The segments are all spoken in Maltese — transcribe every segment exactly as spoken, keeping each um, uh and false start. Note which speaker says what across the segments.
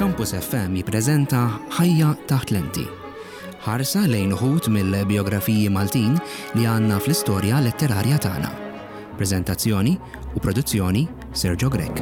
Speaker 1: Campus F M jippreżenta Ħajja taħt lenti. Ħarsa lejn uħud mill-biografiji Maltin li għandna fl-istorja letterarja tagħna. Preżentazzjoni u produzzjoni, Sergio Grech.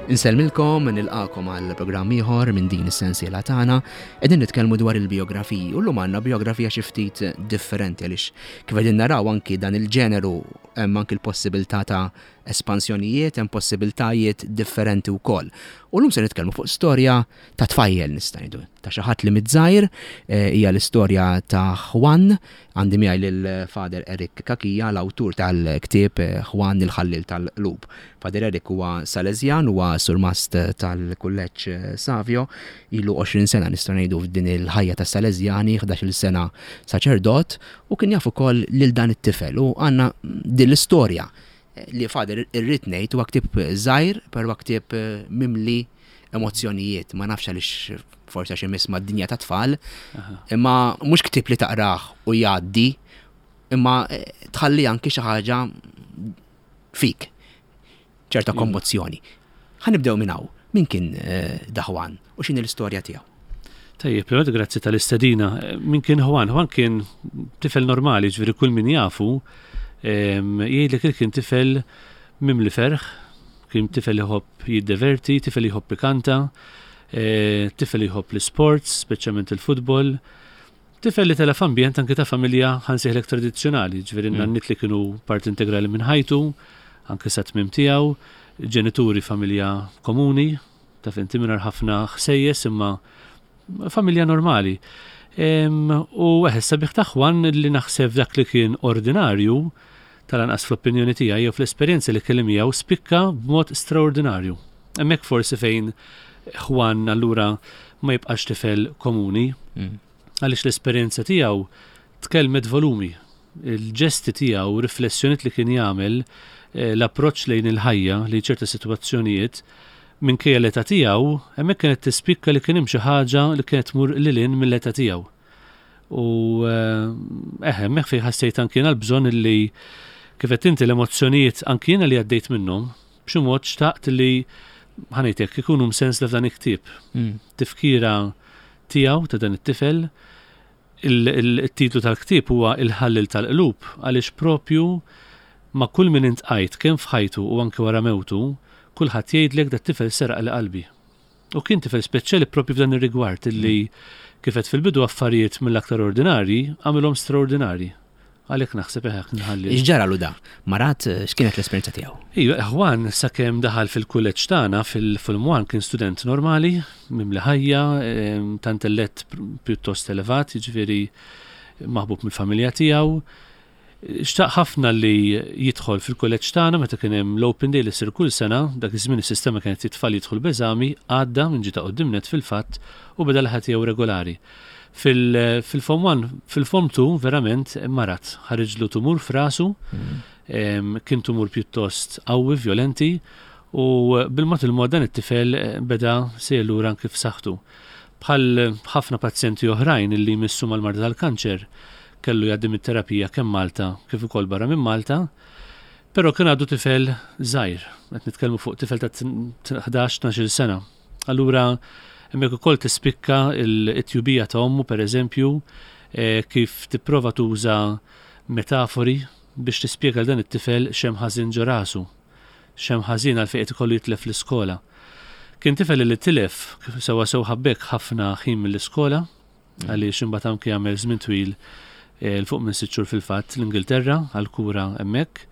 Speaker 1: Insellmilkom, nilqagħkom għal programm ieħor minn din is-sensiela tagħna. Qegħdin nitkellmu dwar il-biografiji u llum għandna biografija xi ftit differenti, għaliex kif qegħdin naraw anki dan il-ġeneru hemm anki l-possibilità ta' espansjonijiet, hemm possibiltajiet differenti wkoll. U llum se nitkellmu fuq storja ta' tfajjel, nista' ngħidu, ta' xi ħadd li miż-żgħir, eh, hija l-istorja ta' Juan. Għandi miegħi lil Father Eric Cachia, l-awtur tal-ktieb eh, Juan il-ħallil tal-qlub. Father Eric huwa Salesjan, huwa surmast tal-Kulleġġ eh, Savio, ilu għoxrin sena, nistgħu ngħidu, f'din il-ħajja tas Salesjani, ħdax-il sena saċerdot, u kien jaf ukoll lil dan it-tifel u għandna din l-istorja li, Father, irrid ngħid, huwa ktieb żgħir, però ktieb eh, mimli emozzjonijiet. Ma nafx għaliex, forsi għax imiss mad-dinja ta' tfal, imma mhux ktieb li taqrah u jgħaddi, imma eh, tħalli anki xi ħaġa fik, ċerta
Speaker 2: Iva.
Speaker 1: kommozzjoni. Ħa nibdew minn hawn. Min kien eh, da Juan u x'inhi l-istorja tiegħu?
Speaker 2: Tajjeb, prima grazzi tal-istedina. Min kien Juan? Juan kien tifel normali, ġifieri kull min jafu, em, jgħidlek li kien tifel mimli ferħ, kien tifel jħobb jiddeverti, tifel jħobb ikanta, eh, tifel jħobb l-sports, speċjalment il-futbol, tifel li tela' f'ambjent anke ta' familja, ħa nsejħlek, tradizzjonali, ġifieri
Speaker 1: Mm.
Speaker 2: nanniet li kienu parti integrali minn ħajtu, anke sa tmiem tiegħu, ġenituri, familja komuni, taf inti, mingħajr ħafna ħsejjes, imma familja normali. Em, U eħe, sabiħ ta' Juan li naħseb dak li kien ordinarju, tal-anqas fl-opinjoni tiegħi jew fl-esperjenza li kelli miegħu, spikka b'mod straordinarju. Hemmhekk forsi fejn Juan allura ma jibqax tifel komuni,
Speaker 1: Mm.
Speaker 2: għaliex l-esperjenza tiegħu tkellmet volumi. Il-ġesti tiegħu, riflessjoniet li kien jagħmel, eh, l-approċċ lejn il-ħajja, li ċerta sitwazzjonijiet, minkejja l-età tiegħu, hemmhekk kienet tispikka li kien hemm xi ħaġa li kienet tmur lil hinn mill-età tiegħu. U eh, eħe, hemmhekk fejn ħassejt anki jiena l-bżonn li, kif qed inti, l-emozzjonijiet anki jiena li għaddejt minnhom, b'xi mod xtaqt li, ħa ngħidlek, ikunu msensla f'dan il-ktieb,
Speaker 1: Mm.
Speaker 2: tifkira tiegħu, ta' dan it-tifel. Il-titlu tal-ktieb huwa Il-ħallil tal-qlub għaliex propju ma' kull min iltqajt, kemm f'ħajtu u anke wara mewtu, kulħadd jgħidlek: "Dat-tifel seraqli qalbi." U kien tifel speċjali propju f'dan ir-rigward illi, kif għedt fil-bidu, affarijiet mill-aktar ordinarji għamilhom straordinarji. Għalhekk naħseb eħek nħalli.
Speaker 1: X'ġaralu da? Marad, eh, x'kienet l-esperjenza tiegħu?
Speaker 2: Ija, Juan sakemm daħal fil-kulleġġ tagħna fil-Form One kien student normali, mimli ħajja, em, ta' intellett pjuttost elevat, jiġifieri maħbub mill-familja tiegħu. Xtaq ħafna li jidħol fil-kulleġġ tagħna meta kien hemm l-Open Day li ssir kull sena. Dak iż-żmien is-sistema kienet it-tfal jidħol b'eżami, għadda minn ġita quddiem net fil-fatt u beda l-ħajja tiegħu regolari. Fil- Fil-Form one, fil-Form two verament marad, ħariġlu tumur f'rasu,
Speaker 1: Mm.
Speaker 2: em, kien tumur pjuttost qawwi, violenti, u bil-mod il-mod dan it-tifel eh, beda sejjer lura anki f'saħħtu. Bħal ħafna pazjenti oħrajn illi jmissu mal-marda tal-kanċer, kellu jgħaddi mit-terapija kemm Malta kif ukoll barra minn Malta, però kien għadu tifel żgħir, qed nitkellmu fuq tifel ta' ħdax tnax-il sena. Allura hemmhekk ukoll tispikka il-tjubija ta' ommu, pereżempju, eh, kif tipprova tuża metafori biex tispjega dan it-tifel x'hemm ħażin ġo rasu, x'hemm ħażin, għalfejn qed ikollu jitlef l-iskola. Kien tifel li tilef, kif sewa sew ħabbek, ħafna ħin mill-iskola, għaliex imbagħad anke jagħmel żmien twil, eh, 'l fuq minn sitt xhur fil-fatt, l-Ingilterra għal-kura hemmhekk.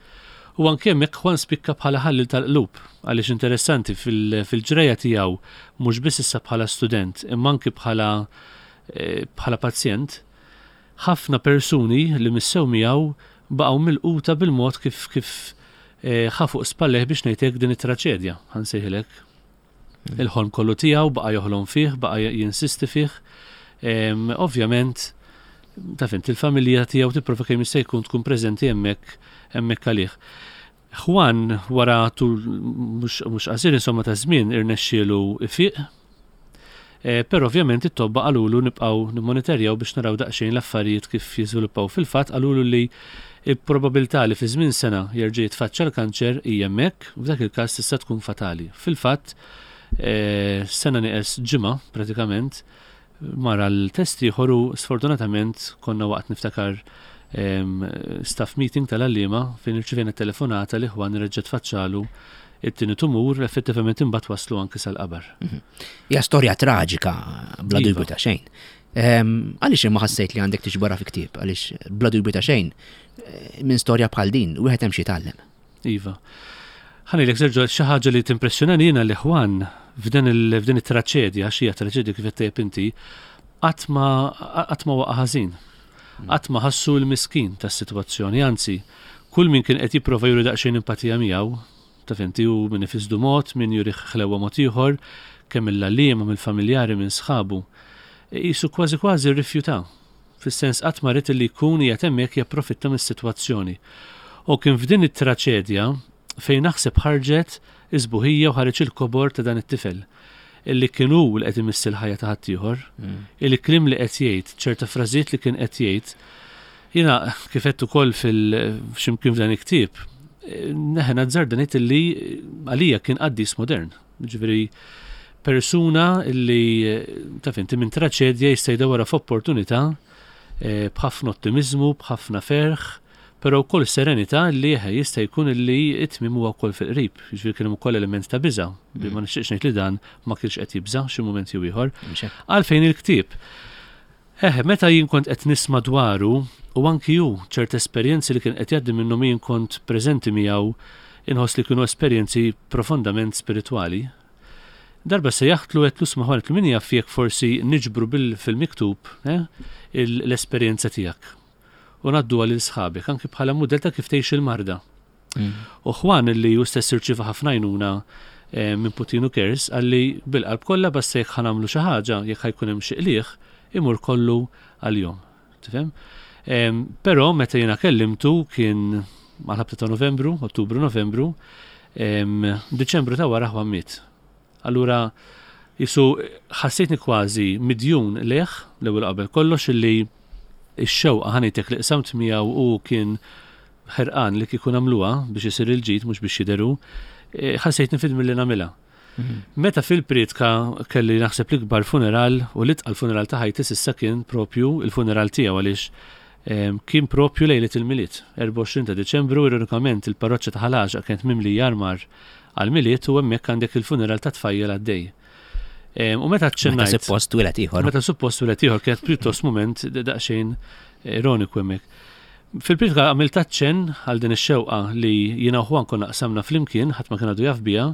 Speaker 2: U anke hemmhekk Juan spikka bħala ħallil tal-qlub, għaliex interessanti fil- fil-ġrejja tiegħu, mhux biss issa bħala student, imma anke bħala eh, bħala pazjent, ħafna persuni li missew miegħu baqgħu milquta bil-mod kif kif eh, ħa fuq spalleh, biex ngħidlek, din it-traċedja, ħa nsejħilek. Il-ħolm kollu tiegħu baqa' joħlom fih, baqa' jinsisti fih. Em, Ovvjament, taf int, il-familja tiegħu tipprova kemm jista' jkun tkun preżenti hemmhekk hemmhekk għalih. Juan wara tul mhux mhux qasir insomma ta' żmien irnexxielu ifiq. Eh, però ovvjament it-tobba qalulu nibqgħu nimmonitorjaw biex naraw daqsxejn l-affarijiet kif jiżviluppaw. Fil-fatt qalulu li il-probabilità li fi żmien sena jerġa' jitfaċċa l-kanċer hija hemmhekk, u f'dak il-każ tista' tkun fatali. Fil-fatt, eh, sena nieqes ġimgħa pratikament mar għal test ieħor u sfortunatament konna waqt, niftakar, staff meeting tal-għalliema fejn irċivejna telefonata li Juan reġa' tfaċċalu it-tieni tumur, effettivament imbagħad waslu anki sal-qabar.
Speaker 1: Mhm. Hija storja traġika bla dubju iva. ta' xejn. Għaliex imma ħassejt li għandek tiġborha fi ktieb? Għaliex bla dubju ta' xejn eh, minn storja bħal din wieħed hemm xi jitgħallem.
Speaker 2: Iva. Ħa ngħidlek, Sergio, xi ħaġa li timpressjonani jiena li Juan f'din it-traċedja, xi traċedja kif qed inti, qatt ma qatt ma waqa' ħażin. Qatt ma ħassu l-miskin tas-sitwazzjoni, anzi, kull min kien qed jipprova juri daqsxejn empatija miegħu, taf inti, u min ifisdu mod, min juri ħlewa mod ieħor, kemm il-għalliema, mill-familjari, minn sħabu. Qisu kważi kważi rrifjuta. Fis-sens qatt ma ried li jkun qiegħed hemmhekk japprofitta mis-sitwazzjoni. U kien f'din it-traċedja fejn naħseb ħarġet is-sbuħija u ħareġ il-kobor ta' dan it-tifel illi kien hu li qed imiss il-ħajja ta' ħaddieħor, mm. il-kliem li qed jgħid, ċerta frażijiet li kien qed jgħid. Jiena kif qed ukoll fil-ximkien f'dan il-ktieb, neħen azzarda ngħid illi għalija kien qaddis modern. Ġifieri persuna illi, taf inti, minn traċedja jista' jdawwarha f'opportunità eh, b'ħafna ottimizmu, b'ħafna ferħ, però wkoll serenità li eħe jista' jkun li it-tmiem huwa wkoll fil-qrib. Ġifieri kien hemm ukoll element ta' biża', bi ma nixtieqx ngħid li dan ma kienx qed jibża' xi mument jew ieħor. Għalfejn il-ktieb? Eħe, meta jien kont qed nisma' dwaru u anki hu ċert esperjenzi li kien qed jgħaddi minnhom, jien kont preżenti miegħu, inħoss li kienu esperjenzi profondament spiritwali. Darba sejjaħtlu, għedtlu: "Isma', Juan," min jaf jekk forsi niġbru bil-fil-miktub eh, l-esperjenza tiegħek u ngħaddu lil sħabek anki bħala mudell ta' kif tgħix il-marda." Mm. U Juan, li hu stess irċieva ħafna għajnuna eh, minn Puttinu Cares, qalli bil-qalb kollha, basta jekk ħa nagħmlu xi ħaġa, jekk ħa jkun hemm xi qligħ, imur kollu għalihom. Tifhem? Però meta jiena kellimtu kien mal-ħabta ta' Novembru, Ottubru, Novembru, Diċembru ta' wara Juan miet. Allura qisu ħassejtni kważi midjun lejh l-ewwel qabel kollox illi ix-xewqa, ħa ngħidlek, li qsamt miegħu u kien ħerqan li kieku nagħmluha biex isir il-ġid, mhux biex jidheru, eh, ħassejtni fid li nagħmilha. Mhm. Meta fil-priedka kelli naħseb l-ikbar funeral u l-itqal funeral ta' ħajti s'issa kien propju il-funeral tiegħu, għaliex kien propju lejlet il-Milied, erbgħa u għoxrin ta' Deċembru, ironikament il-parroċċa ta' Ħal Għaxaq kienet mimli armar għal-Milied u hemmhekk għandek il-funeral ta' tfajjel għaddej. U meta
Speaker 1: ċennajt. Meta suppost twieled ieħor.
Speaker 2: Meta suppost twieled ieħor, kienet pjuttost moment daqsxejn ironiku hemmhekk. Fil-priedka għamilt aċċenn għal din ix-xewqa li jiena u Juan konna qsamna flimkien, ħadd ma kien għadu jaf biha,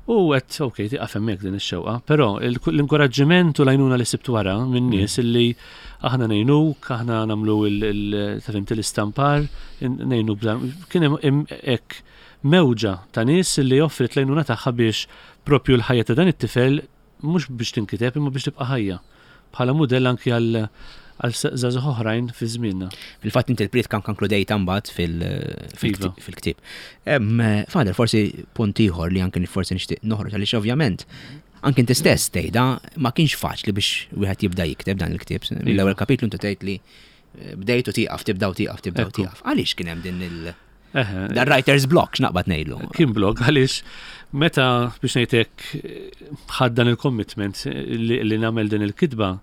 Speaker 2: u għedt, ok, tiqaf hemmhekk din ix-xewqa, però l-inkoraġġiment u l-għajnuna li sibt wara minn nies mm. illi aħna ngħinuk, aħna nagħmlu l-istampar, ngħinu, kien hemm hekk mewġa ta' nies li offrit l-għajnuna tagħha biex propju l-ħajja ta' dan it-tifel mhux biex tinkiteb imma biex tibqa' ħajja bħala mudell anki għal għal żgħażagħ oħrajn fi żmienna.
Speaker 1: Fil-fatt inti l-priedka konkludejta mbagħad
Speaker 2: iva.
Speaker 1: fil-ktieb. Father, forsi punt ieħor li anke forsi nixtieq noħroġ, għaliex ovvjament anke inti stess tgħidha, ma kienx faċli biex wieħed jibda jikteb dan il-ktieb. Iva. L-ewwel kapitlu inti tgħid li eh, bdejtu tieqaf, tibda u tieqaf, tibda u tieqaf. Għaliex kien hemm din il- Dan writer's block, x'naqbad ngħidlu?
Speaker 2: Kien block għaliex meta, biex ngħidlek, ħadt dan il-commitment li, li nagħmel din il-kitba,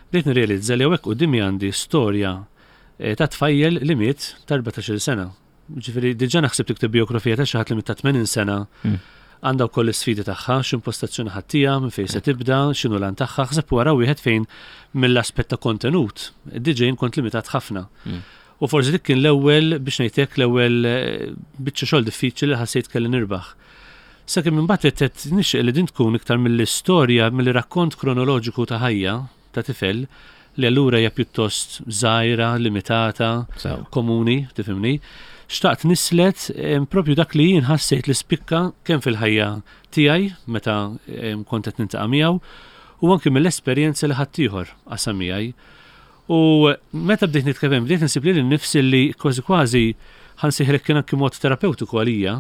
Speaker 2: bdejt nirrealizza li hawnhekk quddiemi għandi storja eh, ta' tfajjel li miet ta' erbatax-il sena. Ġifieri diġà naħseb tikteb biografija ta' xi ħadd li miet ta' tmenin sena mm. għandha wkoll is-sfidi tagħha, x'impostazzjoni ħa ttiha, minn fejn se tibda, x'inhu l tagħha, ħseb wara wieħed fejn mill-aspett ta' kontenut, diġà jien kont limitat ħafna. Mm. U forsi dik kien l-ewwel, biex ngħidlek, l-ewwel eh, biċċa xogħol diffiċli li ħassejt kelli nirbaħ. Sakemm imbagħad qed nixtieq li din tkun iktar mill-istorja, mill-rakkont kronoloġiku ta' ħajja ta' tifel, li allura hija pjuttost żgħira, limitata, komuni, tifhimni. Xtaqt nislet propju dak li jien ħassejt li spikka kemm fil-ħajja tiegħi meta kont qed niltaqa' miegħu u anke mill-esperjenza li ħaddieħor qasam miegħi. U meta bdejt nitkellem, bdejt nsib li nnifsi li kważi kważi ħa nsejħilek kien anki mod terapeutiku għalija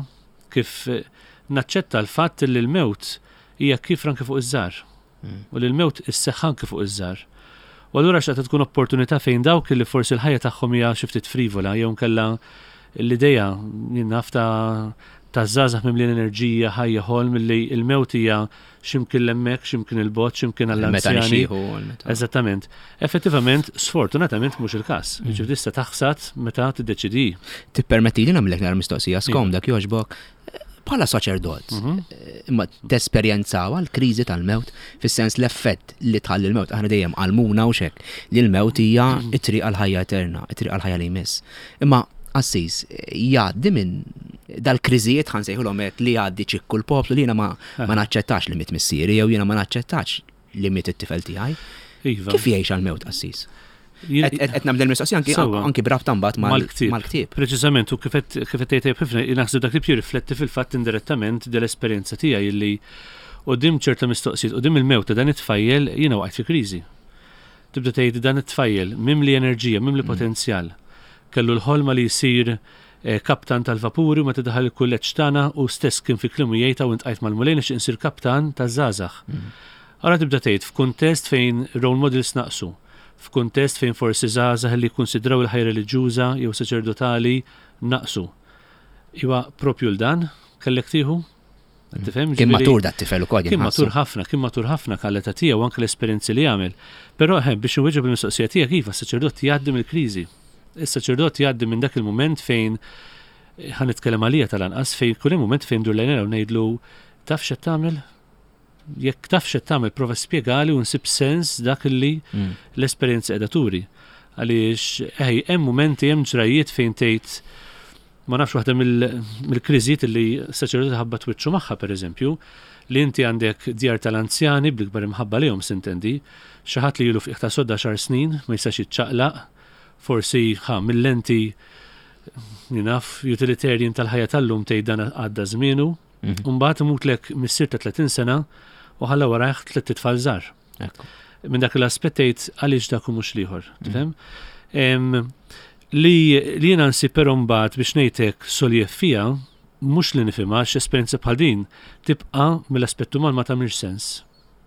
Speaker 2: kif naċċetta l-fatt li l-mewt hija kif anke fuq iż-żgħar.
Speaker 1: Mm.
Speaker 2: U li l-mewt isseħħ anke fuq iż-żgħar. U allura xtaqt tkun opportunità fejn dawk li forsi l-ħajja tagħhom hija xi ftit frivola jew nkella l-idea jien naf ta' ta' żgħażagħ mimlin enerġija, ħajja, ħolm li l-mewt hija x'imkien hemmhekk, x'imkien il-bogħod, x'imkien
Speaker 1: Meta
Speaker 2: għall-anzjani.
Speaker 1: nixieħu. Meta-
Speaker 2: Eżattament. Effettivament, sfortunatament mhux il-każ.
Speaker 1: Mm.
Speaker 2: Ġifieri tista' taħsad meta tiddeċidi.
Speaker 1: Tippermetti li nagħmlek nara mistoqsija skomda jogħġbok. Bħala saċerdot,
Speaker 2: Mhm.
Speaker 1: imma tesperjenzaw l-kriżi tal-mewt, fis-sens l-effett li tħalli l-mewt, aħna dejjem għallmuna u xek, li l-mewt hija it-triq għal-ħajja eterna, it-triq għal-ħajja li jmiss. Imma qassis, jgħaddi minn dal-kriżijiet ħa nsejħulhom hekk li jgħaddi ċikku l-poplu li jiena ma, ma naċċettax li miet missieri jew jiena ma naċċettax li miet it-tifel tiegħi.
Speaker 2: Iva.
Speaker 1: Kif jgħix għal-mewt qassis?
Speaker 2: Jien-
Speaker 1: Qed qed nagħmel mistoqsija anki
Speaker 2: Sewwa.
Speaker 1: anki b'rabta mbagħad mal-
Speaker 2: Mal-ktieb.
Speaker 1: mal-ktieb.
Speaker 2: Preċiżament, u kif qed kif qed tgħid ħafna, naħseb dak li jirrifletti fil-fatt indirettament dell-esperjenza tiegħi illi quddiem ċerta mistoqsijiet, quddiem il-mewt ta' dan it-tfajjel jiena waqgħet fi kriżi. Tibda tgħid dan it-tfajjel mimli enerġija, mimli potenzjal. Kellu l-ħolma li jsir eh, kaptan tal-vapuri u meta daħal il-kulleġġ tagħna u stess kien fi kliemu jgħid u intqajt mal-Mulej nixtieq insir kaptan taż-żgħażagħ. Allura tibda tgħid f'kuntest fejn role models naqsu, f'kuntest fejn forsi żgħażagħ li jikkunsidraw il-ħajja reliġjuża jew saċerdotali naqsu. Iwa propju l-dan kellek tieħu? Qed Tifhem?
Speaker 1: Kien
Speaker 2: Ġifieri-
Speaker 1: matur dat tifel ukoll
Speaker 2: Kien
Speaker 1: jinħassu.
Speaker 2: matur ħafna, kien matur ħafna għall-età tiegħu anke l-esperjenzi li għamel. Però eh, biex inwieġeb il-mistoqsija tiegħek iva, s-saċerdot jgħaddi mill-kriżi. Is-saċerdot jgħaddi minn dak il-mument fejn eh, ħa nitkellem għalija tal-anqas fejn kull hemm mument fejn dur lejna u ngħidlu taf x'qed tagħmel? Jekk taf x'qed tagħmel prova spjegali u nsib sens dak li
Speaker 1: Mm.
Speaker 2: l-esperjenza qiegħda turi. Għaliex ej, hemm mumenti hemm ġrajiet fejn tgħid ma nafx waħda mill- mill-kriżijiet li saċerdoti ħabba twiċċu magħha pereżempju, li inti għandek djar tal-anzjani bl-ikbar imħabba lejhom sintendi, xi ħadd li ilu f'qiegħ ta' sodda xar snin ma jistax jiċċaqlaq, forsi ħa mill-lenti naf utilitarian tal-ħajja tal-lum tgħid dan għadda żmienu,
Speaker 1: Mhm.
Speaker 2: u mbagħad imutlek missier ta' tletin sena u ħalla warajh tliet itfal żgħar
Speaker 1: Ekku.
Speaker 2: minn dak l-aspett tgħid għaliex dak u mhux l-ieħor, tifhem? Em, Li li jiena nsib però mbagħad biex ngħidlek soljev fija, mhux li nifhimha għax esperjenza bħal din tibqa' mill-aspett uman ma tagħmilx sens.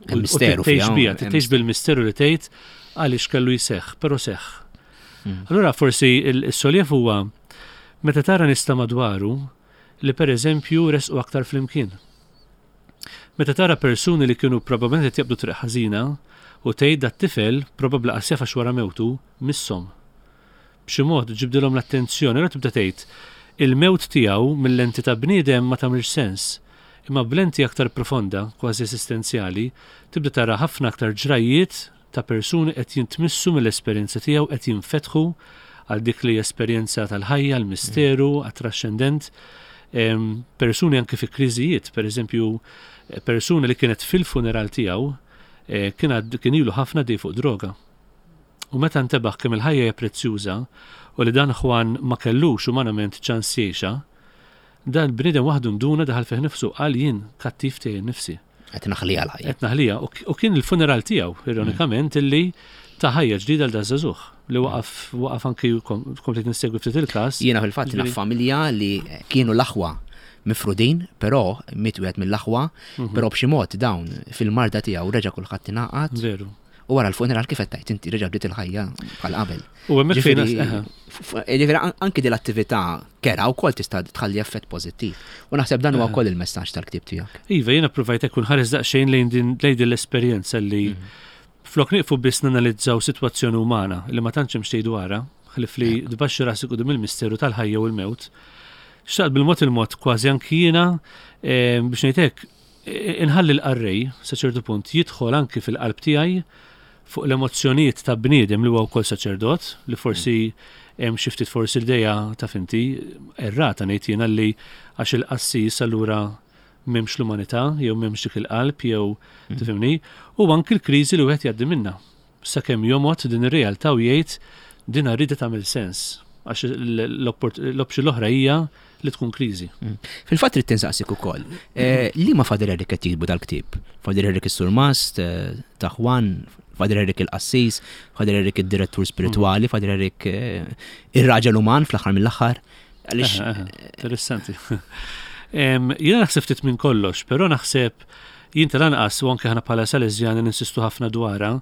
Speaker 1: Hemm
Speaker 2: U- u
Speaker 1: misteru
Speaker 2: tgħix
Speaker 1: fiha,
Speaker 2: biha,
Speaker 1: hemm
Speaker 2: tgħix bil-misteru li tgħid għaliex kellu jseħħ, però seħħ.
Speaker 1: Mm.
Speaker 2: Allura forsi il-soljev huwa meta tara nista madwaru li pereżempju resqu aktar flimkien. Meta tara persuni li kienu probabbilment qed jaqbdu triq ħażina u tgħid dat-tifel probabbli qas jaf għax wara mewtu misshom. B'xi mod ġibdilhom l-attenzjoni, allura tibda tgħid il-mewt tiegħu mill-lenti ta' bniedem ma tagħmilx sens. Imma b'lenti aktar profonda, kważi esistenzjali, tibda tara ħafna aktar ġrajiet ta' persuni qed jintmissu mill-esperjenza tiegħu qed jinfetħu għal dik li esperjenza tal-ħajja, l-misteru, għat-trascendent. Em, Persuni anke fi kriżijiet, per eżempju, eh, persuna li kienet fil-funeral tiegħu eh, kien għad- kien ilu ħafna dej fuq droga. U meta ntebaħ kemm il-ħajja hija prezzjuża u li dan Juan ma kellux umanament ċans jgħixha, dan bniedem waħdu nduna daħal fih nifsu qal jien kattiv tiegħi nnifsi.
Speaker 1: Qed naħliha l-ħajja.
Speaker 2: Qed naħlija u k- u kien il-funeral tiegħu ironikament illi ta' ħajja ġdida l dażżagħżugħ li waqaf waqaf anki kom- komplet nissegwi ftit il-każ.
Speaker 1: Jiena fil-fatt naf
Speaker 2: Ġifieri-
Speaker 1: familja li kienu l-aħwa mifrudin, però miet wieħed mill-aħwa,
Speaker 2: Mhm.
Speaker 1: però b'xi mod dawn fil-marda tiegħu reġa' kulħadd ingħaqad
Speaker 2: Veru.
Speaker 1: u wara l-funeral kif qed tgħid inti reġa' bdiet il-ħajja bħal qabel.
Speaker 2: U hemmhekk fejn
Speaker 1: Ġifieri,
Speaker 2: eħe.
Speaker 1: f- f- ġifieri an- anki din l-attività kera wkoll tista' tħalli effett pożittiv. U naħseb dan huwa wkoll il-messaġġ tal-ktieb tiegħek.
Speaker 2: Iva, jiena provajt ekku nħares daqsxejn lejn din lejn din l-esperjenza li flok nieqfu biss nanalizzaw sitwazzjoni umana li ma tantx hemm xejn dwarha, ħlif li tbaxxi rasek quddiem il-misteru tal-ħajja u l-mewt. Xtaqt bil-mod il-mod kważi anki jiena eh, biex ngħid hekk eh, inħalli l-qarrej sa ċertu punt jidħol anki fil-qalb tiegħi fuq l-emozzjonijiet ta' bniedem li huwa wkoll saċerdot li forsi hemm xi ftit forsi l-idea ta' finti errata ngħid jiena li għax il-qassis allura m'hemmx l-umanità jew m'hemmx dik il-qalb jew tifhimni u anki l-kriżi li wieħed jgħaddi minnha. Sakemm jomgħod din ir-realtà u jgħid din rida tagħmel sens għax l-option l-oħra hija li tkun kriżi.
Speaker 1: Fil-fatt trid tinsaqsik ukoll. eh, Li ma Father Eric qed jiktbu dal-ktieb? Father Eric is-Surmast, eh, ta' Juan, Father Eric il-Qassis, Father Eric id-direttur spiritwali, Father Eric eh, ir-raġel uman fl-aħħar mill-aħħar. Għaliex
Speaker 2: Aha, aha, Interessanti. Em, Jiena naħseb ftit minn kollox, però naħseb Jien tal-anqas u anke aħna bħala Salesjani ninsistu ħafna dwarha,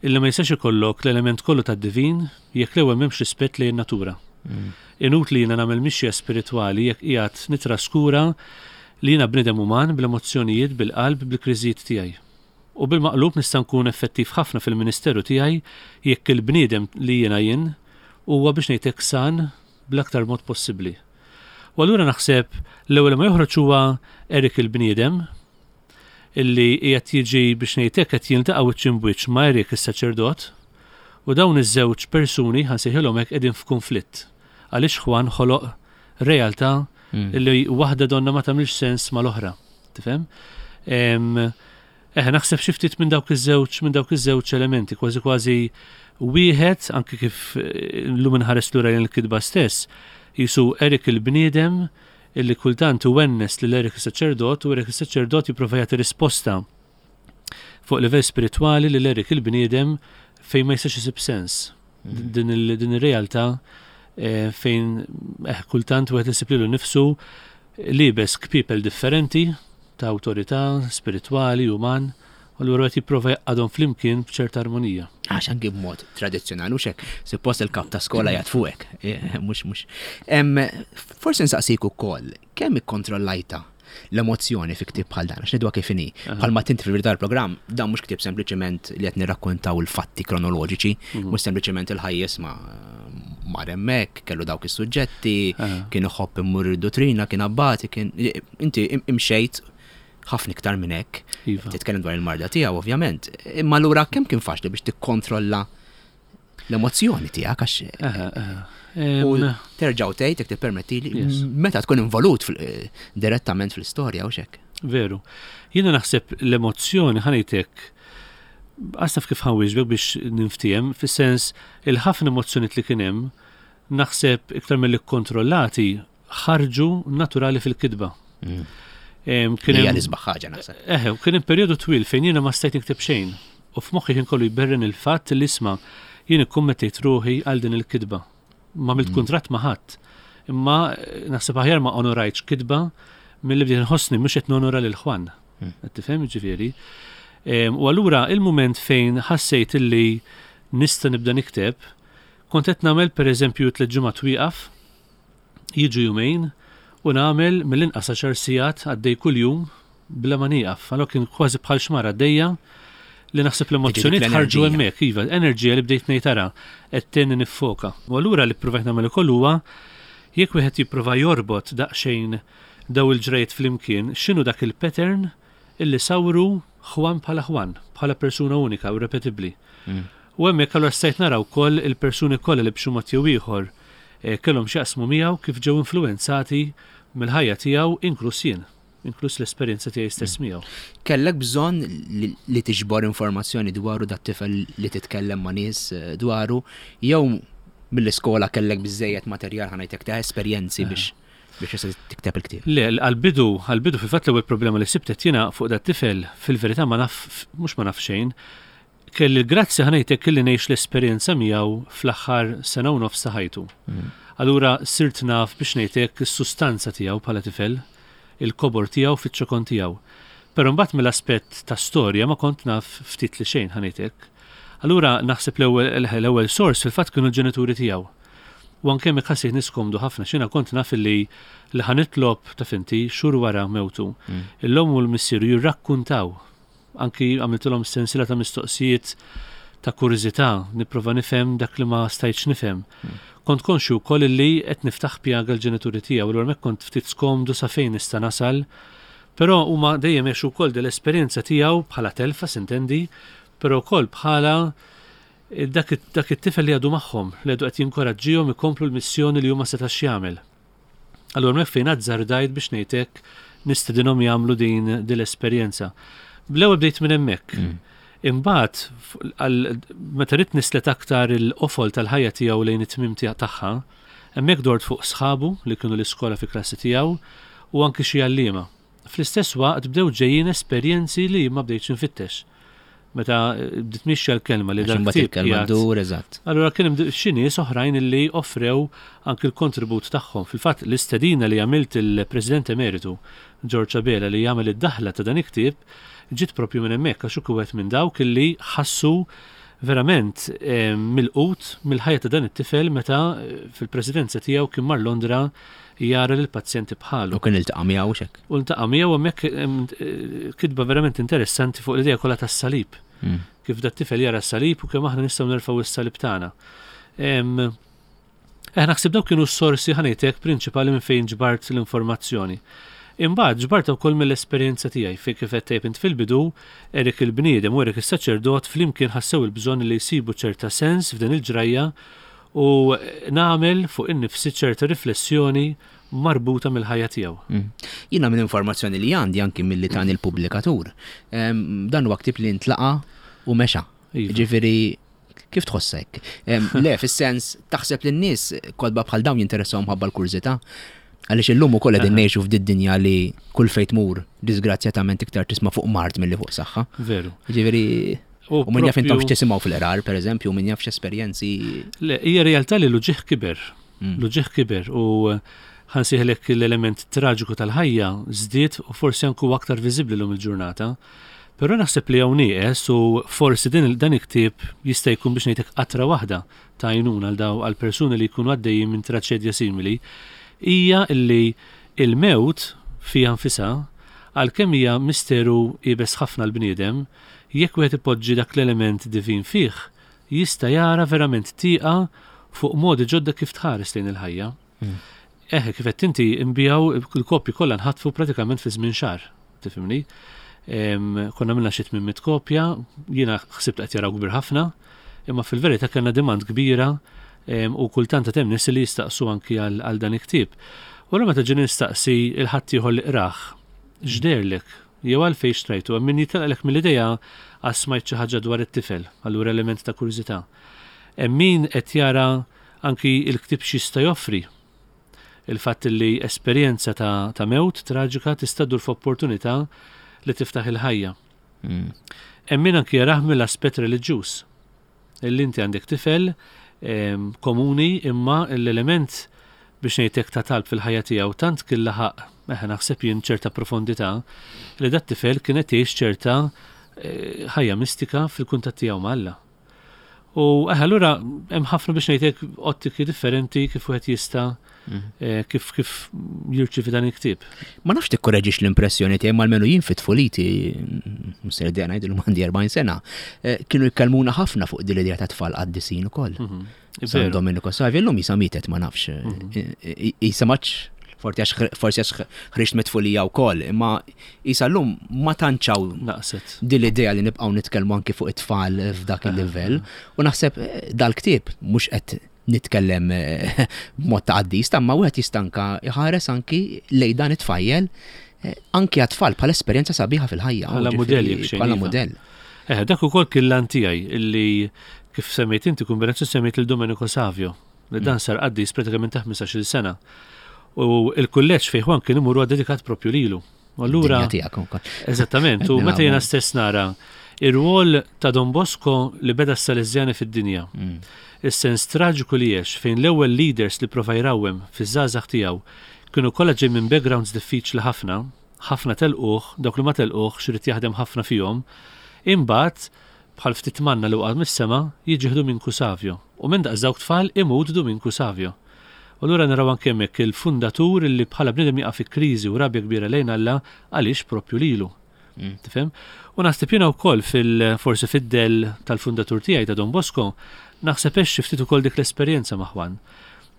Speaker 2: illi ma jistax ikollok l-element kollu tad-divin jekk l-ewwel m'hemmx rispett lejn natura. Mm. Inutli jiena nagħmel mixja spiritwali jekk qiegħed nitraskura li jiena bniedem uman bl-emozzjonijiet, bil-qalb, bil-kriżijiet tiegħi. U bil-maqlub nista' nkun effettiv ħafna fil-ministeru tiegħi jekk il-bniedem li jiena jien huwa biex ngħidlek san bl-aktar mod possibbli. U allura naħseb l-ewwel ma joħroġ huwa Erik il-bniedem illi qiegħed jiġi biex ngħidlek qed jiltaqa' wiċċ imbwiċċ ma' Erik is-saċerdot u dawn iż-żewġ persuni ħa nsejħilhom hekk qegħdin f'kunflitt. Għaliex Juan ħoloq realtà mm. illi waħda donna ma tagħmilx sens mal-oħra. Tifhem? Eħe, naħseb xi ftit minn dawk iż-żewġ minn dawk iż-żewġ elementi, kważi kważi wieħed anke kif eh, llum inħares lura lejn il-kitba stess, jisu Erik il-bniedem illi kultant iwennes lil Erik is-saċerdot u Erik is-saċerdot jipprova jagħti risposta fuq livell spiritwali lil Erik il-bniedem fejn ma jistax isib sens. Mm. Din ir-realtà eh, fejn eh, kultant wieħed isib lilu nnifsu liebes kpiepel differenti ta' awtorità spiritwali, uman, u allura qed jipprova jgħaqqadhom flimkien b'ċerta armonija.
Speaker 1: Għax anki b'mod tradizzjonali u hekk, suppost il-kap ta' skola jgħid fuqek, eh, mhux mhux. Forsi nsaqsik ukoll, kemm ikkontrollajta l-emozzjoni fi ktieb bħal dan, għax ngħiduha kif inhi. Bħalma tinti fil-verità l-programm, dan mhux ktieb sempliċement li qed nirrakkontaw il-fatti kronoloġiċi, mhm. mhux sempliċement il-ħajjes ma mar hemmhekk, kellu dawk is-suġġetti, kien iħobb immur id-dottrina, kien abbati, kien inti imxejt ħafna iktar minn hekk. Iva. Titkellem dwar il-marda tiegħu ovvjament. Imma allura kemm kien faċli biex tikkontrolla l-emozzjoni tiegħek għax u terġgħu tgħid jekk tippermettili meta tkun involut eh, direttament fl-istorja u hekk.
Speaker 2: Veru. Jiena naħseb l-emozzjoni ħa ngħidlek għasaf kif ħa nwieġbek biex ninftiehem, fis-sens il-ħafna emozzjonijiet li kien hemm naħseb iktar mill kontrollati ħarġu naturali fil-kitba.
Speaker 1: Mm. Kien hemm l-isbaħ ħaġa naħseb.
Speaker 2: Eħe, kien hemm perjodu twil fejn jiena ma stajt nikteb xejn. U f'moħħi kien kollu jberren il-fatt li isma' jien ikkummettejt ruħi għal din il-kitba. Ma għamilt mm. kuntratt ma' ħadd. Imma eh, naħseb aħjar ma onorajtx kitba milli bdejt nħossni mhux qed nonora lil Juan. Mm. Qed tifhem ġifieri. U allura il-mument fejn ħassejt illi nista' nibda nikteb, kont qed nagħmel pereżempju tliet ġimgħat wieqaf, jiġu jumejn, u nagħmel mill-inqas għaxar sigħat għaddej kuljum bla ma nieqaf. Allura kien kważi bħal xmara għaddejja li naħseb l-emozzjonijiet ħarġu hemmhekk, iva, enerġija li bdejt ngħid ara qed tgħinni niffoka. U allura li ppruvajt nagħmel ukoll huwa jekk wieħed jipprova jorbot daqsxejn daw il-ġrajjiet flimkien, x'inhu dak il-pattern illi sawru Juan bħala Juan, bħala persuna unika u repetibbli. Mm. U hemmhekk allura stajt nara wkoll il-persuni kollha li b'xi mod jew ieħor eh, kellhom x'jaqsmu miegħu kif ġew influwenzati mill-ħajja tiegħu inkluż jien, inkluż l-esperjenza tiegħi stess mm. miegħu.
Speaker 1: Kellek bżonn li tiġbor informazzjoni dwaru dat-tifel li titkellem ma' nies eh, dwaru jew mill-iskola kellek biżejjed materjal ħa ngħidlek ta' esperjenzi eh. biex biex tista' tikteb il-ktieb?
Speaker 2: Le, għal-bidu, għal-bidu fil-fatt l-ewwel problema li sibtet jiena fuq dat-tifel fil-verità ma naf mhux ma naf xejn, kelli l-grazzja ħa ngħidlek kelli ngħix l-esperjenza miegħu fl-aħħar sena u nofs ta' ħajtu. Mm. Allura sirt naf biex ngħidlek is-sustanza tiegħu bħala tifel, il-kobor tiegħu fiċ-ċokon tiegħu. Però mbagħad mill-aspett ta' storja ma kont naf ftit li xejn ħa ngħidlek. Allura naħseb l-ewwel sors fil-fatt kienu l-ġenituri tiegħu. U anke hemmhekk ħassejt niskomdu ħafna x'jiena kont naf illi li ħa nitlob taf inti xhur wara mewtu. Mm. L-omm u l-missieru jirrakkuntaw. Anki għamiltilhom sensiela ta' mistoqsijiet ta' kurżità, nipprova nifhem dak li ma stajtx nifhem. Mm. Kont konxju wkoll illi qed niftaħ pjaga l-ġenituri tiegħu, allura hemmhekk kont ftit skomdu sa fejn nista' nasal. Però huma dejjem għexu wkoll dell-esperjenza tiegħu bħala telfa sintendi, però wkoll bħala dak dak it-tifel li għadu magħhom, li għadu qed jinkoraġġihom ikomplu l-missjoni li huma setax jagħmel. Allura hemmhekk fejn azzardajt biex ngħidlek nistedinhom jagħmlu din din l-esperjenza. Bl-ewwel bdejt minn hemmhekk. Mm. Imbagħad meta ridt nislet aktar il-qofol tal-ħajja tiegħu lejn it-tmiem tagħha, hemmhekk dort fuq sħabu li kienu l-iskola fi klassi tiegħu u anki xi għalliema. Fl-istess waqt bdew ġejjin esperjenzi li ma bdejtx infittex. Meta eh, bdiet mixja l-kelma li dan
Speaker 1: il-kelma dur, eżatt.
Speaker 2: Allura kien hemm xi nies oħrajn li offrew anki l-kontribut tagħhom. Fil-fatt l-istedina li għamilt il-President Emeritu George Abela li jagħmel id-daħla ta' dan il-ktieb ġiet propju minn hemmhekk għax hu wieħed minn dawk illi ħassu verament eh, milqut mill-ħajja ta' dan it-tifel meta eh, fil-presidenza tiegħu kien mar Londra jara lil pazjenti bħalu.
Speaker 1: U kien iltaqa' miegħu xek.
Speaker 2: U ltaqa' miegħu hemmhekk eh, kitba verament interessanti fuq l-idea kollha tas-salib.
Speaker 1: Mm.
Speaker 2: Kif dat tifel jara s-salib u kemm aħna nistgħu nerfgħu s-salib tagħna. Eh, naħseb dawk kienu s-sorsi ħa ngħidlek prinċipali minn fejn ġbart l-informazzjoni. Imbagħad ġbart ukoll mill-esperjenza tiegħi fejn kif qed tgħid int fil-bidu, Erik il-bniedem u Erik is-saċerdot flimkien ħassew il-bżonn li jsibu ċerta sens f'din il-ġrajja u nagħmel fuq innifsi ċerta riflessjoni marbuta mill-ħajja tiegħu.
Speaker 1: Mm. Jiena minn informazzjoni li għandi anki milli tani l-pubblikatur. Em, Dan huwa ktieb li ntlaqa u mexa.
Speaker 2: Iva.
Speaker 1: Ġifieri kif tħossek? Em, Le, fis-sens taħseb li n-nies kotba bħal dawn jinteressahom ħabba l-kurżità. Għaliex illum ukoll qegħdin ngħixu f'did dinja li kull fejn tmur disgrazzjatament iktar tisma' fuq mard milli fuq saħħa.
Speaker 2: Veru.
Speaker 1: Ġifieri
Speaker 2: U
Speaker 1: u min jaf intom
Speaker 2: propju-
Speaker 1: x'tisimgħu fil-qrar, pereżempju, min jaf x'esperjenzi.
Speaker 2: Le, hija realtà li l-uġigħ kiber.
Speaker 1: Mm.
Speaker 2: L-uġigħ kiber u ħa nsejħilek l-element traġiku tal-ħajja żdied u forsi anku aktar viżibbli llum il-ġurnata. Però naħseb li hawn nieqes u forsi din dan il-ktieb jista' jkun biex ngħidlek qatra waħda ta' għajnuna għal daw għal persuni li jkunu għaddejjin minn traċedja simili hija li il-mewt fiha nfisha għalkemm hija misteru iebes ħafna l-bniedem, jekk wieħed ipoġġi dak l-element divin fih, jista' jara verament tieqa fuq modi ġodda kif tħares lejn il-ħajja.
Speaker 1: Mm.
Speaker 2: Eħe, kif qed inti nbiegħu il-kopji kollha nħatfu pratikament fi żmien xahar, tifhimni? Em, Konna minna xi tmien mitt kopja, jiena ħsibt qed jaraw kbir ħafna, imma fil-verità kellna demand kbira em, u kultant hemm nies li jistaqsu anki għal għal dan il-ktieb. U allura meta ġie nistaqsi il-ħadd ieħor li qrah, x'deherlek? Jew għalfejn xtrajtu, hemm min jitlaqlek mill-idea għax smajt xi ħaġa dwar it-tifel, allura element ta' kurżità. Hemm min qed jara anki il-ktieb x'jista' joffri. Il-fatt li esperjenza ta', ta' mewt traġika tista' ddur f'opportunità li tiftaħ il-ħajja.
Speaker 1: Mm.
Speaker 2: Hemm min anki jarah mill-aspett reliġjuż. Illi inti għandek tifel em, komuni imma l-element biex ngħidlek ta' talb fil-ħajja tiegħu tant kien laħaq eħe naħseb jien ċerta profondità li dat tifel kien qed jgħix ċerta eh, ħajja mistika fil-kuntatt tiegħu ma' Alla. U eħe allura hemm ħafna biex ngħidlek ottiki differenti kif wieħed jista'
Speaker 1: Mm.
Speaker 2: eh, kif kif jirċievi dan il-ktieb.
Speaker 1: Ma nafx tikkoreġix l-impressjoni tiegħi almenu jien fit-tfuliti, msir dejja ngħidu għandi erbgħin sena, eh, kienu jkellmuna ħafna fuq din l-idea ta' tfal qaddisin ukoll.
Speaker 2: Mhm.
Speaker 1: San
Speaker 2: Veru.
Speaker 1: Domenico Savio llum jisa mietet ma nafx.
Speaker 2: Mhm.
Speaker 1: Jisa maċ forsi għax forsi għax ħriġt mit-tfulija wkoll, imma jisa llum ma tantxaw
Speaker 2: Naqset.
Speaker 1: din l-idea li nibqgħu nitkellmu anki fuq it-tfal f'dak il-livell. U naħseb eh, dal-ktieb mhux qed nitkellem eh, b'mod ta' qaddis, imma wieħed jista' anka jħares anki lejn dan it-tfajjel eh, anki għat-tfal bħala esperjenza sabiħa fil-ħajja.
Speaker 2: Bħala
Speaker 1: Ġifieri,
Speaker 2: mudell jekk xejn,
Speaker 1: Bħala
Speaker 2: iva.
Speaker 1: mudell.
Speaker 2: Eh, dak ukoll kien l tiegħi illi kif semmejt inti kombinazzjoni semmejt il Domenico Savio li dan sar qaddis pratikament ta' ħmistax-il sena. U il-kulleġġ fejn Juan kien imur huwa dedikat propju lilu. U Allura,
Speaker 1: Dinja tiegħek ukoll.
Speaker 2: eżattament, u
Speaker 1: Qed
Speaker 2: meta jiena
Speaker 1: nilagħbu.
Speaker 2: stess nara ir-rwol ta' Don Bosco li beda s-Salesjani fid-dinja.
Speaker 1: Mm.
Speaker 2: Is-sens traġiku li għex fejn l-ewwel leaders li prova jrawwem fiż-żgħażagħ tiegħu kienu kollha ġej minn backgrounds diffiċli ħafna, ħafna telquh, dawk li ma telquh x'irid jaħdem ħafna fihom, imbagħad bħal ftit manna li waqgħet mis-sema jiġi Dominku Savio. U minn daqs dawk tfal imut Dominku Savio. U allura naraw anke hemmhekk il-fundatur li bħala bniedem jaqa' fi kriżi u rabja kbira lejn Alla għaliex propju lilu.
Speaker 1: Mm.
Speaker 2: Tifhem? U naħseb jiena wkoll fil forsi fid-del tal-fundatur tiegħi ta' Don Bosco, naħseb għex xi ftit ukoll dik l-esperjenza ma' Juan.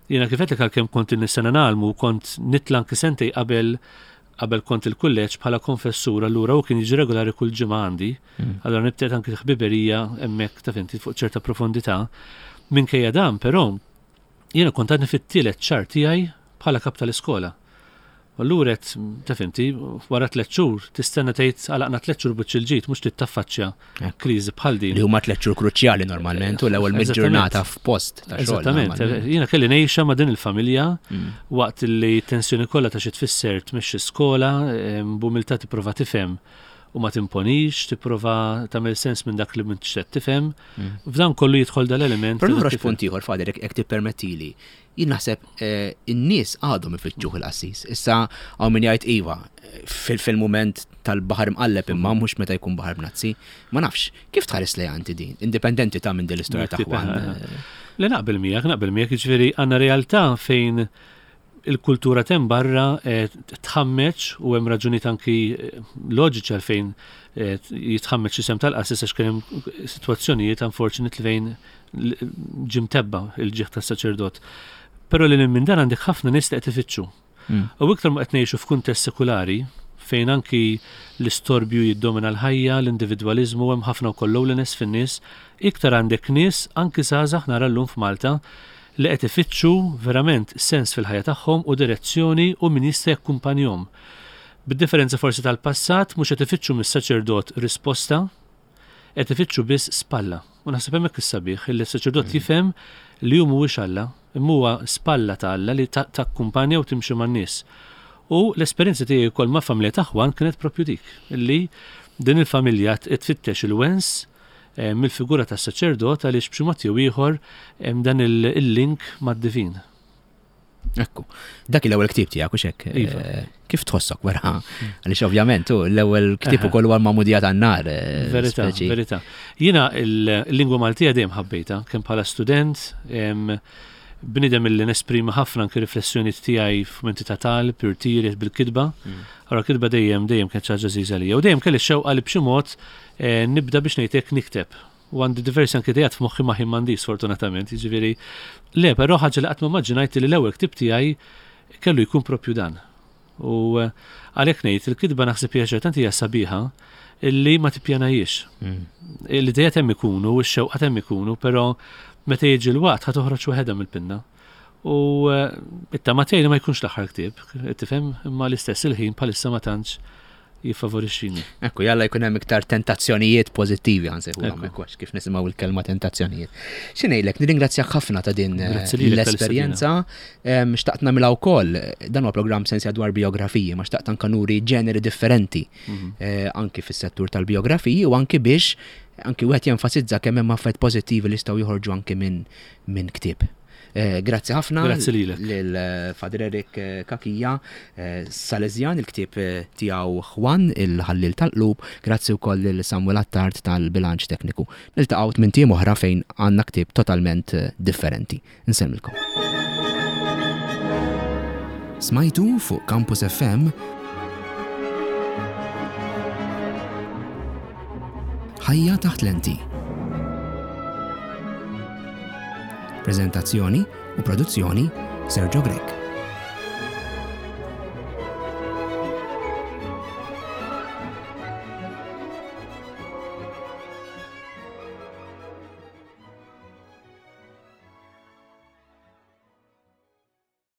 Speaker 2: Jiena kif għedtlek għalkemm kont in-sena nagħlmu kont nitla' anki sentej qabel qabel kont il-kulleġġ bħala konfessur allura u kien jiġi regolari kull ġimgħa għandi.
Speaker 1: Mm.
Speaker 2: Allura nibtet anki ħbiberija hemmhekk ta' finti fuq ċerta profondità. Minkejja dan però jiena kont għadni fit-tielet xahar tiegħi bħala kap tal-iskola. U Allura qed ta' finti, wara tliet xhur tistenna tgħid għalaqna tliet xhur biċ il-ġid mhux titaffaċċja
Speaker 1: Ekku.
Speaker 2: kriżi bħal din.
Speaker 1: Li huma tliet xhur kruċjali normalment u l-ewwel mid-ġurnata f'post ta' xogħol.
Speaker 2: Eżattament,
Speaker 1: normalment.
Speaker 2: jiena kelli ngħixha ma' din il-familja
Speaker 1: Mm.
Speaker 2: waqt li tensjoni kollha ta' xi tfisser tmexxi skola, em, b'umiltà tipprova tifhem u ma timponix, tipprova tagħmel sens minn dak li m'intix qed tifhem. F'dan kollu jidħol dal-element.
Speaker 1: Però noħroġ punt ieħor, Father, jekk tippermettili. Jien naħseb eh, in-nies għadhom ifittxuh il-qassis. Issa hawn min jgħid iva, fil-mument tal-baħar mqalleb imma mhux meta jkun baħar bnazzi. Ma nafx, kif tħares lejha inti din? Indipendenti ta' minn din l-istorja ta' Juan.
Speaker 2: Le, naqbel miegħek, naqbel miegħek, jiġifieri għandna realtà fejn il-kultura tem barra eh, tħammeċ u hemm raġunijiet anki eh, loġiċi għalfejn eh, jitħammeċ isem tal-qassis, għax kien hemm sitwazzjonijiet unfortunately fejn ġie mtebba' il-ġieħ tas-saċerdot. Però li minn dan għandek ħafna nies li qed ifittxu.
Speaker 1: Mm.
Speaker 2: U iktar ma qed ngħixu f'kuntest sekulari fejn anki l-istorbju jiddomina l-ħajja, l-individwaliżmu, hemm ħafna wkoll loneliness fin-nies, iktar għandek nies anki żgħażagħ nara llum f'Malta li qed ifittxu verament sens fil-ħajja tagħhom u direzzjoni u min jista' jakkumpanjhom. Bid-differenza forsi tal-passat, mhux qed ifittxu mis-saċerdot risposta, qed ifittxu biss spalla. U naħseb hemmhekk is-sabiħ illi s-saċerdot jifhem li hu mhuwiex Alla, imma huwa spalla ta' Alla li takkumpanja u timxi man-nies. U l-esperjenza tiegħi wkoll ma' familja ta' Juan kienet propju dik, illi din il-familja tfittex il-wens eh, mill-figura tas-saċerdot għaliex b'xi mod jew ieħor hemm dan il-link mad-divin.
Speaker 1: Ekku, dak l-ewwel ktieb tiegħek u xek.
Speaker 2: Iva.
Speaker 1: Eh, kif tħossok wara? Għaliex ovvjament tu l-ewwel ktieb ukoll huwa l-magħmudija tan-nar. eh,
Speaker 2: Verità,
Speaker 1: speċi.
Speaker 2: verità. Jiena il-lingwa Maltija dejjem ħabbejta, kemm bħala student, em, bnidem illi nesprimi ħafna anke riflessjoni tiegħi f'mumenti ta' talb, irtiri bil-kitba. Allora kitba dejjem dejjem kienet xi ħaġa għażiża lija. U dejjem kelli xewqa li b'xi mod eh, nibda biex ngħidlek nikteb. U għandi diversi anke idejat f'moħħi ma ħin m'għandix sfortunatament, jiġifieri le, però ħaġa li qatt ma immaġinajt li l-ewwel ktieb tiegħi kellu jkun propju dan. U eh, għalhekk ngħid il-kitba naħseb hija ċertant hija sabiħa illi ma tippjanajiex.
Speaker 1: Mm.
Speaker 2: L-idejat hemm ikunu, x-xewqat hemm ikunu, però meta jiġi l-waqt ħa toħroġ waħedha mill-pinna. U eh, it-tama tiegħi li ma jkunx l-aħħar ktieb, tifhem, imma l-istess il-ħin bħalissa ma tantx jiffavorixxini.
Speaker 1: Ekku, jalla jkun hemm iktar tentazzjonijiet pożittivi għan sejħu
Speaker 2: Ekku.
Speaker 1: hekk għax kif nisimgħu il-kelma tentazzjonijiet. Xi ngħidlek, nirringrazzjak ħafna ta' din eh,
Speaker 2: Grazzi lilek
Speaker 1: l-esperjenza. Em, Xtaqt nagħmilha wkoll, dan huwa programm sensja dwar biografiji, ma xtaqt anka nuri ġeneri differenti
Speaker 2: Mhm.
Speaker 1: eh, anki fis-settur tal-biografiji u anki biex anki wieħed jenfasizza kemm hemm affarijiet pożittivi li jistgħu joħorġu anki minn minn ktieb. Eh, Grazzi ħafna
Speaker 2: Grazzi lilek.
Speaker 1: lil eh, Father Eric eh, Cachia, eh, Salesian, il-ktieb eh, tiegħu Juan, il-ħallil tal-qlub, grazzi wkoll lil Samuel Attard tal-bilanċ tekniku. Niltaqgħu minn tim oħra fejn għandna ktieb totalment eh, differenti. Insellmilkom. Smajtu fuq Campus F M Ħajja taħt lenti. Prezentazzjoni u produzzjoni Sergio Grech.